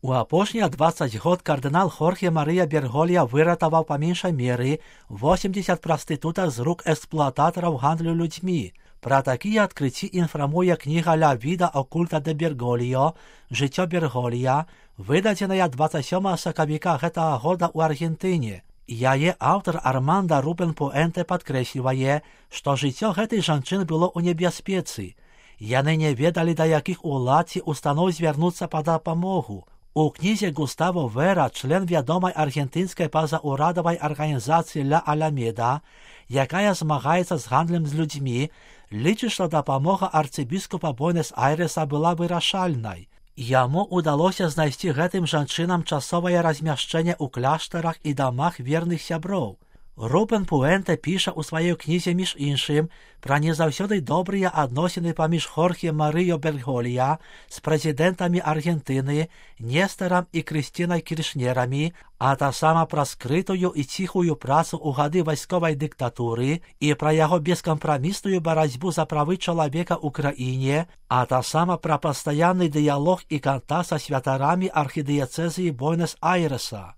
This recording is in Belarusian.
У апошнія 20 год кардынал Хорхе Марыя Берголія выратаваў па меншай меры 80 прастытутак з рук эксплуататараў гандлю людзьмі. Пра такія адкрыцці інфармуе кніга «Ля віда окульта де Берголіо» «Жыццё Берголія», выдадзеная 27 сакавіка гэтага года ў Аргентыне. Яе аўтар Арманда Рубен Пуэнте падкрэслівае, што жыццё гэтай жанчыны было ў небяспецы. Яны не ведалі, да якіх улад ці устаноў звярнуцца па дапамогу. У кнізе Густаво Вера, член вядомай аргентынскай пазаўрадавай арганізацыі «Ля Аламеда», якая змагаецца з гандлем з людзьмі, лічыць, што дапамога арцыбіскупа Буэнас-Айрэса была вырашальнай. Яму ўдалося знайсці гэтым жанчынам часовае размяшчэнне ў кляштарах і дамах верных сяброў. Рубен Пуэнте піша ў сваёй кнізе, між іншым, пра не заўсёды добрыя адносіны паміж Хорхе Марыё Берголія з прэзідэнтамі Аргентыны, Нестарам і Крыстінай Кіршнерамі, а таксама пра скрытую і ціхую працу ў гады вайсковай дыктатуры і пра яго бескампрамісную барацьбу за правы чалавека ў краіне, а таксама пра пастаянны дыялог і кантакт са святарамі архідыяцэзіі Буэнас-Айрэса.